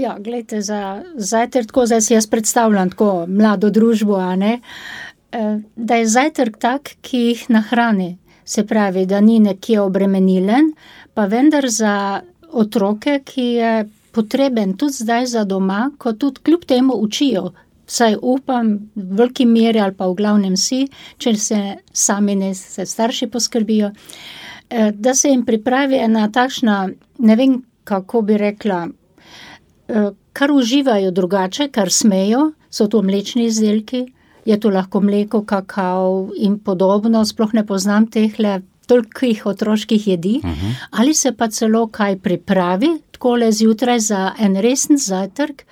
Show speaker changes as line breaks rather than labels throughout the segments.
Ja, glejte, za zajtrk, tako zdaj si jaz predstavljam tako mlado družbo, a ne, da je zajtrk tak, ki jih nahrani. Se pravi, da ni nekje obremenilen, pa vendar za otroke, ki je potreben tudi zdaj za doma, ko tudi kljub temu učijo. Vsaj upam, v veliki meri ali pa v glavnem si, če se sami ne, se starši poskrbijo, da se jim pripravi ena takšna, ne vem, kako bi rekla, kar uživajo drugače, kar smejo, so to mlečni izdelki, je to lahko mleko, kakao in podobno, sploh ne poznam tehle tolikih otroških jedi, ali se pa celo kaj pripravi, takole zjutraj za en resen zajtrk,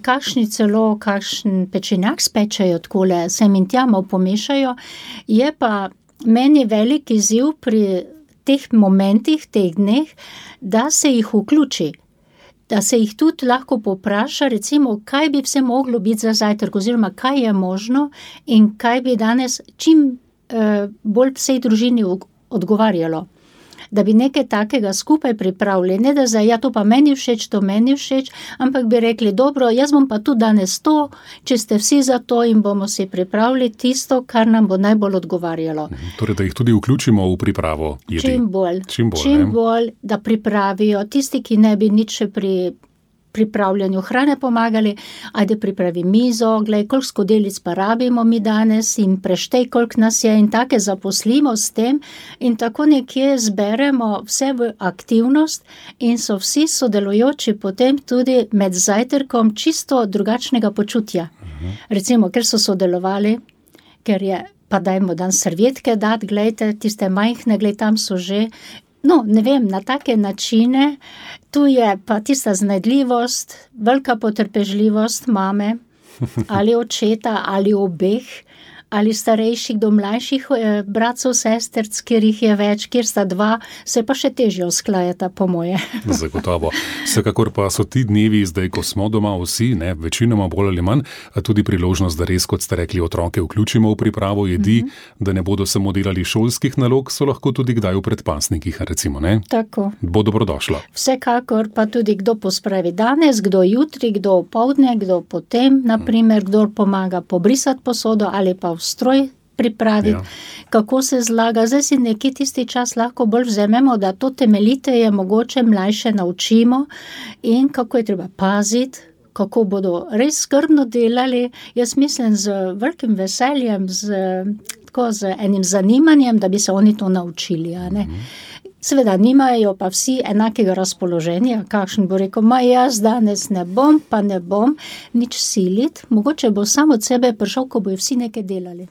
kakšen pečenjak spečejo, takole sem in tja malo pomešajo, je pa meni velik izziv pri teh momentih, teh dneh, da se jih vključi, da se jih tudi lahko povpraša, recimo, kaj bi vse moglo biti za zajtrk, oziroma kaj je možno in kaj bi danes čim bolj vsej družini odgovarjalo. Da bi nekaj takega skupaj pripravili, ne da zdaj, ja, to pa meni všeč, to meni všeč, ampak bi rekli, dobro, jaz bom pa tudi danes to, če ste vsi za to in bomo si pripravili tisto, kar nam bo najbolj odgovarjalo.
Torej, da jih tudi vključimo v pripravo jedi.
Čim bolj, da pripravijo. Tisti, ki ne bi nič še pri pripravljanju hrane pomagali, ajde pripravi mizo, glej, koliko skodelic pa rabimo mi danes in preštej, koliko nas je in take zaposlimo s tem in tako nekje zberemo vse v aktivnost in so vsi sodelujoči potem tudi med zajtrkom čisto drugačnega počutja. Recimo, ker so sodelovali, ker je, pa dajmo dan servietke dati, glejte, tiste majhne, glej, tam so že. No, ne vem, na take načine, tu je pa tista znajdljivost, velika potrpežljivost mame, ali očeta, ali obeh, ali starejših do mlajših bratcev, sesterc, kjer jih je več, kjer sta dva, se pa še težje usklajata, po moje.
Zagotovo. Vsekakor pa so ti dnevi, zdaj, ko smo doma vsi, ne, večinoma bolj ali manj, tudi priložnost, da res, kot ste rekli, otroke vključimo v pripravo jedi, da ne bodo samo delali šolskih nalog, so lahko tudi kdaj v predpasnikih, recimo, ne?
Tako.
Bo dobrodošlo.
Vsekakor pa tudi kdo pospravi danes, kdo jutri, kdo opoldne, kdo potem, naprimer, kdo pomaga pobrisati posodo ali pa stroj pripraviti, kako se zlaga. Zdaj si nekje tisti čas lahko bolj vzememo, da to temeljiteje mogoče mlajše naučimo in kako je treba paziti, kako bodo res skrbno delali. Jaz mislim z velikim veseljem, z enim zanimanjem, da bi se oni to naučili, a ne. Seveda nimajo pa vsi enakega razpoloženja, kakšen bo rekel, jaz danes ne bom nič siliti, mogoče bo samo od sebe prišel, ko bojo vsi nekaj delali.